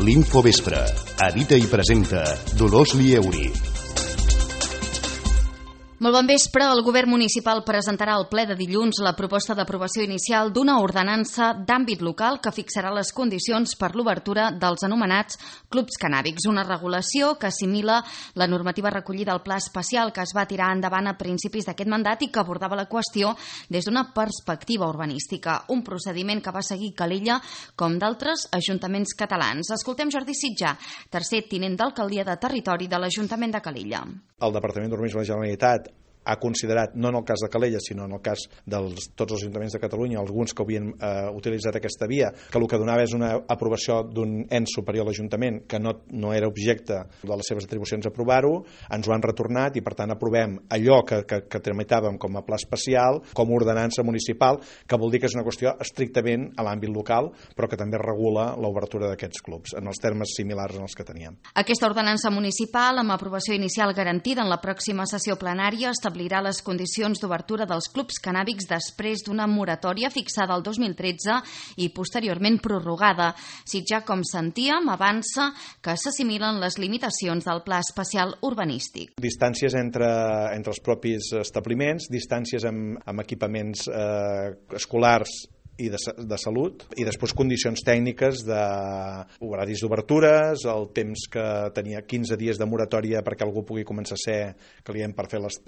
L'Infovespre. Edita i presenta Dolors Lieuri. Molt bon vespre. El govern municipal presentarà al ple de dilluns la proposta d'aprovació inicial d'una ordenança d'àmbit local que fixarà les condicions per l'obertura dels anomenats clubs cannàbics, una regulació que assimila la normativa recollida al pla especial que es va tirar endavant a principis d'aquest mandat i que abordava la qüestió des d'una perspectiva urbanística, un procediment que va seguir Calella com d'altres ajuntaments catalans. Escoltem Jordi Sitjà, tercer tinent d'alcaldia de territori de l'Ajuntament de Calella. El Departament d'Urbanisme de la Generalitat ha considerat, no en el cas de Calella, sinó en el cas de tots els ajuntaments de Catalunya, alguns que havien utilitzat aquesta via, que el que donava és una aprovació d'un ens superior a l'Ajuntament que no era objecte de les seves atribucions aprovar-ho, ens ho han retornat i per tant aprovem allò que tramitàvem com a pla especial, com a ordenança municipal, que vol dir que és una qüestió estrictament a l'àmbit local, però que també regula l'obertura d'aquests clubs, en els termes similars en els que teníem. Aquesta ordenança municipal, amb aprovació inicial garantida en la pròxima sessió plenària, establirà les condicions d'obertura dels clubs cannàbics després d'una moratòria fixada el 2013 i posteriorment prorrogada. Sitjà, com sentíem, avança que s'assimilen les limitacions del pla especial urbanístic. Distàncies entre els propis establiments, distàncies amb equipaments escolars i de salut, i després condicions tècniques d'horaris d'obertures, el temps que tenia 15 dies de moratòria perquè algú pugui començar a ser client per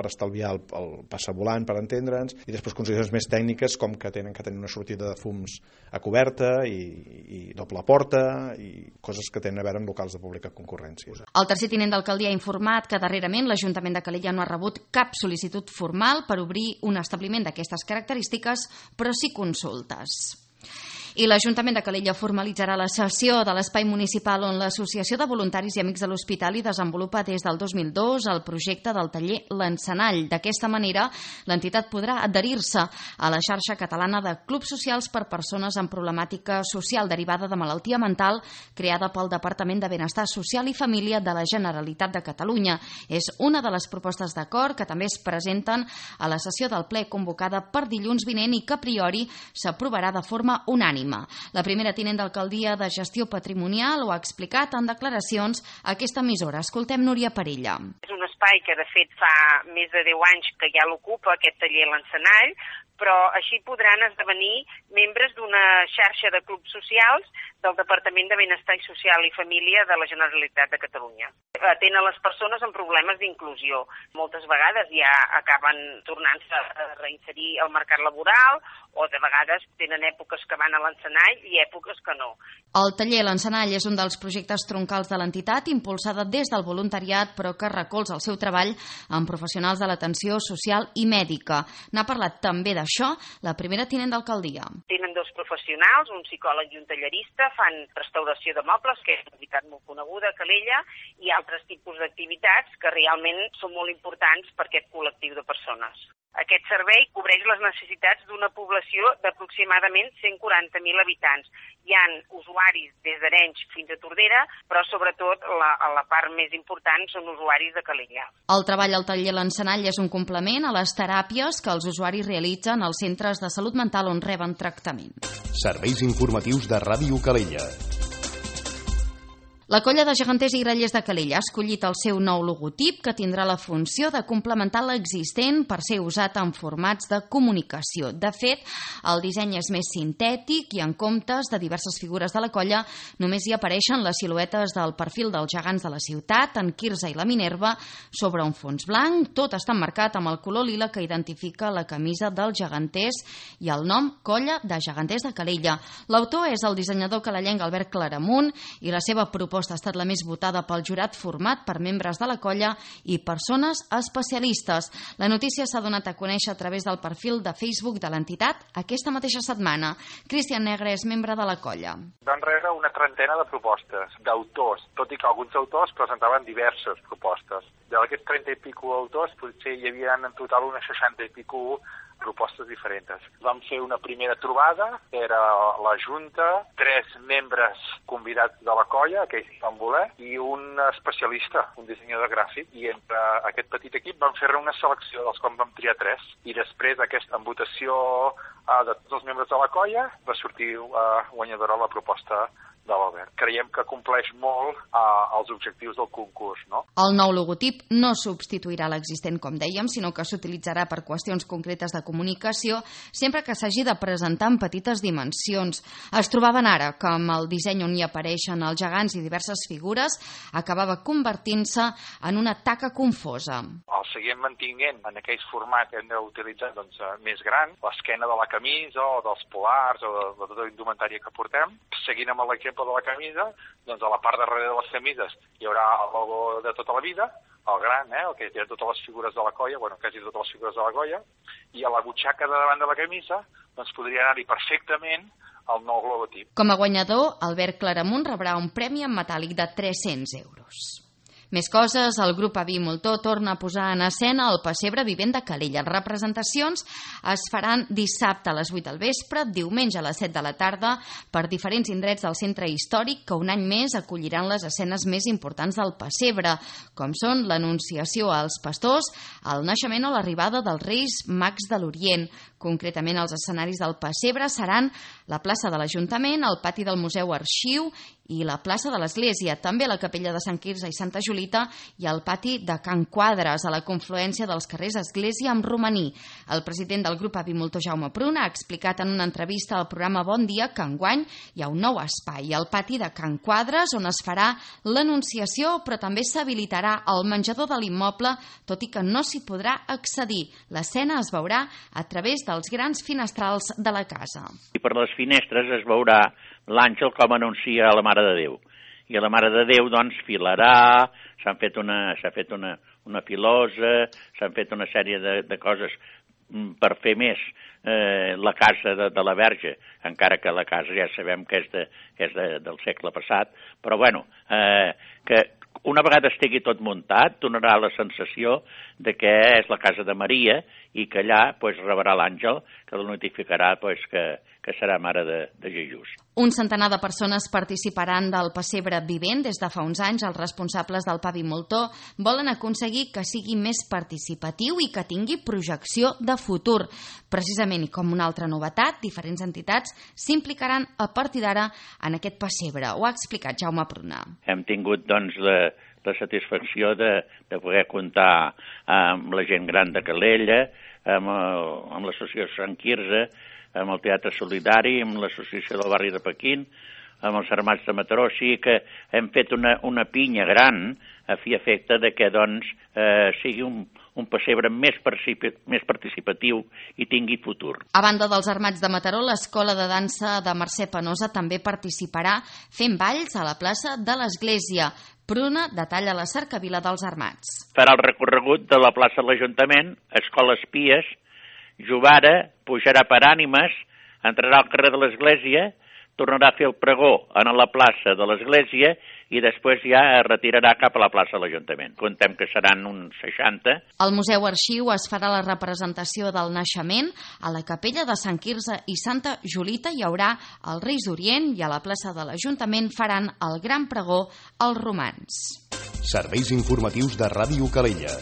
estalviar el passavolant, per entendre'ns, i després condicions més tècniques com que tenen que tenir una sortida de fums a coberta i doble porta i coses que tenen a veure amb locals de pública concurrència. El tercer tinent d'alcaldia ha informat que darrerament l'Ajuntament de Calella no ha rebut cap sol·licitud formal per obrir un establiment d'aquestes característiques, però sí consultes. I l'Ajuntament de Calella formalitzarà la cessió de l'espai municipal on l'Associació de Voluntaris i Amics de l'Hospitali desenvolupa des del 2002 el projecte del taller L'Encenall. D'aquesta manera, l'entitat podrà adherir-se a la xarxa catalana de clubs socials per persones amb problemàtica social derivada de malaltia mental creada pel Departament de Benestar Social i Família de la Generalitat de Catalunya. És una de les propostes d'acord que també es presenten a la sessió del ple convocada per dilluns vinent i que a priori s'aprovarà de forma unànime. La primera tinent d'alcaldia de gestió patrimonial ho ha explicat en declaracions a aquesta emissora. Escoltem Núria Parella. És un espai que de fet fa més de 10 anys que ja l'ocupa aquest taller L'Encenall, però així podran esdevenir membres d'una xarxa de clubs socials del Departament de Benestar Social i Família de la Generalitat de Catalunya. Atén a les persones amb problemes d'inclusió. Moltes vegades ja acaben tornant-se a reinserir al mercat laboral o de vegades tenen èpoques que van a l'Encenall i èpoques que no. El taller L'Encenall és un dels projectes troncals de l'entitat, impulsada des del voluntariat, però que recolza el seu treball amb professionals de l'atenció social i mèdica. N'ha parlat també d'això la primera tinent d'alcaldia. Tenen dos professionals, un psicòleg i un tallerista, fan restauració de mobles, que és una activitat molt coneguda a Calella, i altres tipus d'activitats que realment són molt importants per aquest col·lectiu de persones. Aquest servei cobreix les necessitats d'una població d'aproximadament 140.000 habitants. Hi ha usuaris des d'Arenys fins a Tordera, però sobretot la part més important són usuaris de Calella. El treball al taller L'Encenall és un complement a les teràpies que els usuaris realitzen als centres de salut mental on reben tractament. Serveis informatius de Ràdio Calella. La colla de geganters i grallers de Calella ha escollit el seu nou logotip que tindrà la funció de complementar l'existent per ser usat en formats de comunicació. De fet, el disseny és més sintètic i en comptes de diverses figures de la colla només hi apareixen les siluetes del perfil dels gegants de la ciutat, en Quirze i la Minerva, sobre un fons blanc. Tot està emmarcat amb el color lila que identifica la camisa dels geganters i el nom Colla de Geganters de Calella. L'autor és el dissenyador calellenc Albert Claramunt i la seva proposta ha estat la més votada pel jurat format per membres de la colla i persones especialistes. La notícia s'ha donat a conèixer a través del perfil de Facebook de l'entitat aquesta mateixa setmana. Cristian Negre és membre de la colla. Van rebre una trentena de propostes d'autors, tot i que alguns autors presentaven diverses propostes. D'aquests 30 i pico autors potser hi havia en total unes 60 i pico propostes diferents. Vam fer una primera trobada, era la Junta, 3 membres convidats de la colla, aquells que van voler, i un especialista, un dissenyador gràfic, i entre aquest petit equip vam fer una selecció dels quals vam triar 3, i després en votació de tots els membres de la colla va sortir guanyadora la proposta de l'Albert. Creiem que compleix molt els objectius del concurs, no? El nou logotip no substituirà l'existent, com dèiem, sinó que s'utilitzarà per qüestions concretes de comunicació sempre que s'hagi de presentar en petites dimensions. Es trobaven ara que amb el disseny on hi apareixen els gegants i diverses figures acabava convertint-se en una taca confosa. El seguim mantinguent en aquells formats que hem d'utilitzar més gran, l'esquena de la camisa o dels polars o de tota la indumentària que portem. Seguint amb l'exemple de la camisa, doncs a la part darrere de les camises hi haurà el logo de tota la vida, el gran, el que té totes les figures de la colla, quasi totes les figures de la colla, i a la butxaca de davant de la camisa doncs podria anar-hi perfectament el nou logotip. Com a guanyador, Albert Claramunt rebrà un premi en metàl·lic de 300 euros. Més coses, el grup Avi Moltó torna a posar en escena el pessebre vivent de Calella. Les representacions es faran dissabte a les 8 del vespre, diumenge a les 7 de la tarda, per diferents indrets del centre històric que un any més acolliran les escenes més importants del pessebre, com són l'Anunciació als pastors, el naixement o l'arribada dels Reis Mags de l'Orient. Concretament, els escenaris del pessebre seran la plaça de l'Ajuntament, el pati del Museu Arxiu i la plaça de l'Església, també la capella de Sant Quirze i Santa Julita i el pati de Can Quadres, a la confluència dels carrers Església amb Romaní. El president del grup Avi Moltó, Jaume Pruna, ha explicat en una entrevista al programa Bon Dia que enguany hi ha un nou espai, el pati de Can Quadres, on es farà l'Anunciació, però també s'habilitarà el menjador de l'immoble, tot i que no s'hi podrà accedir. L'escena es veurà a través dels grans finestrals de la casa. I per les finestres es veurà l'àngel com anuncia a la Mare de Déu. I a la Mare de Déu, doncs, filarà, s'ha fet una filosa, s'han fet una sèrie de coses per fer més la casa de la Verge, encara que la casa ja sabem que és del segle passat, però bueno, que una vegada estigui tot muntat, donarà la sensació de que és la casa de Maria i que allà rebrà l'àngel que la notificarà que serà mare de Jesús. Un centenar de persones participaran del pessebre vivent. Des de fa uns anys, els responsables del Avi Moltó volen aconseguir que sigui més participatiu i que tingui projecció de futur. Precisament, i com una altra novetat, diferents entitats s'implicaran a partir d'ara en aquest pessebre. Ho ha explicat Jaume Pruna. Hem tingut, doncs, la satisfacció de poder comptar amb la gent gran de Calella, amb l'associació Sant Quirze, amb el Teatre Solidari, amb l'associació del barri de Pequín, amb els Armats de Mataró. O sigui que hem fet una pinya gran a fi efecte de que sigui un pessebre més participatiu i tingui futur. A banda dels Armats de Mataró, l'Escola de Dansa de Mercè Penosa també participarà fent balls a la plaça de l'Església. Pruna detalla la cercavila dels Armats. Farà el recorregut de la plaça de l'Ajuntament, Escola Espies, Jovara, pujarà per Ànimes, entrarà al carrer de l'Església, tornarà a fer el pregó en la plaça de l'Església i després ja es retirarà cap a la plaça de l'Ajuntament. Contem que seran uns 60. Al Museu Arxiu es farà la representació del naixement. A la capella de Sant Quirze i Santa Julita hi haurà els Reis d'Orient i a la plaça de l'Ajuntament faran el gran pregó als romans. Serveis informatius de Ràdio Calella.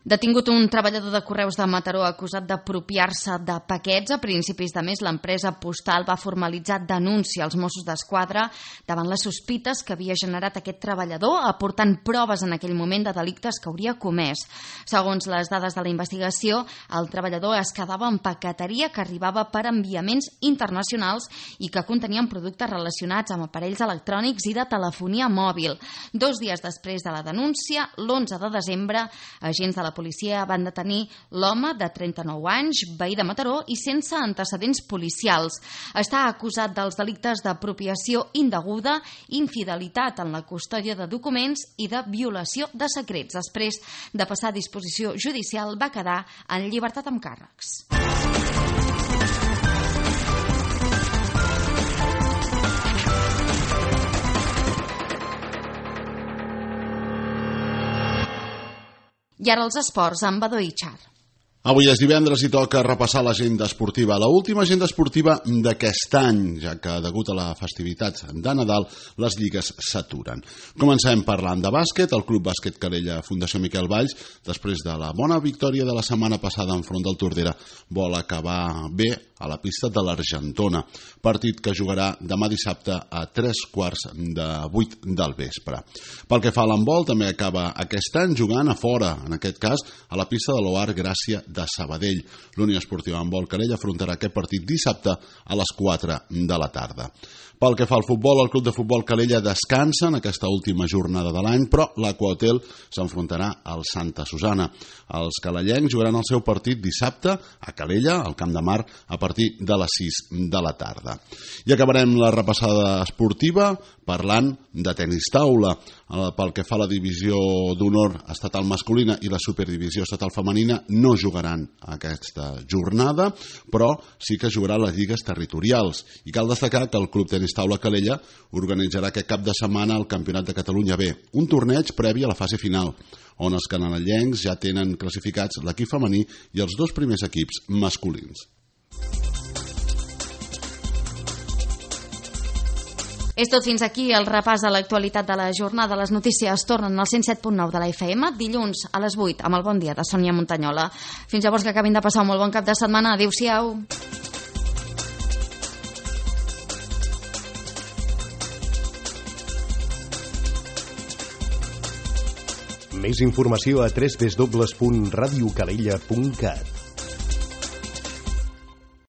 Detingut un treballador de Correus de Mataró acusat d'apropiar-se de paquets. A principis de mes, l'empresa postal va formalitzar denúncia als Mossos d'Esquadra davant les sospites que havia generat aquest treballador, aportant proves en aquell moment de delictes que hauria comès. Segons les dades de la investigació, el treballador es quedava en paqueteria que arribava per enviaments internacionals i que contenien productes relacionats amb aparells electrònics i de telefonia mòbil. 2 dies després de la denúncia, l'11 de desembre, agents de la policia van detenir l'home de 39 anys, veí de Mataró i sense antecedents policials. Està acusat dels delictes d'apropiació indeguda, infidelitat en la custòdia de documents i de violació de secrets. Després de passar a disposició judicial, va quedar en llibertat amb càrrecs. I ara els esports amb Badó Itxar. Avui és divendres i toca repassar l'agenda esportiva, l'última agenda esportiva d'aquest any, ja que degut a la festivitat de Nadal les lligues s'aturen. Comencem parlant de bàsquet. El Club Bàsquet Calella Fundació Miquel Valls, després de la bona victòria de la setmana passada enfront del Tordera, vol acabar bé a la pista de l'Argentona, partit que jugarà demà dissabte a 7:45 del vespre. Pel que fa a l'handbol, també acaba aquest any jugant a fora, en aquest cas a la pista de l'Oar Gràcia de Sabadell. L'Unió Esportiva Handbol Calella afrontarà aquest partit dissabte a les 4 de la tarda. Pel que fa al futbol, el Club de Futbol Calella descansa en aquesta última jornada de l'any, però l'Aquahotel s'enfrontarà al Santa Susana. Els calellencs jugaran el seu partit dissabte a Calella, al Camp de Mar, a partir de les 6 de la tarda. I acabarem la repassada esportiva parlant de tenis taula. Pel que fa a la divisió d'honor estatal masculina i la superdivisió estatal femenina, no jugaran aquesta jornada, però sí que jugaran les lligues territorials. I cal destacar que el Club Tenis Taula Calella organitzarà aquest cap de setmana el Campionat de Catalunya B, un torneig previ a la fase final, on els canadellencs ja tenen classificats l'equip femení i els dos primers equips masculins. És tot fins aquí el repàs de l'actualitat de la jornada. Les notícies tornen al 107.9 de la FM dilluns a les 8 amb el Bon Dia de Sònia Montanyola. Fins llavors, que acabin de passar un molt bon cap de setmana. Adéu-siau. Més informació a www.radiocalella.cat.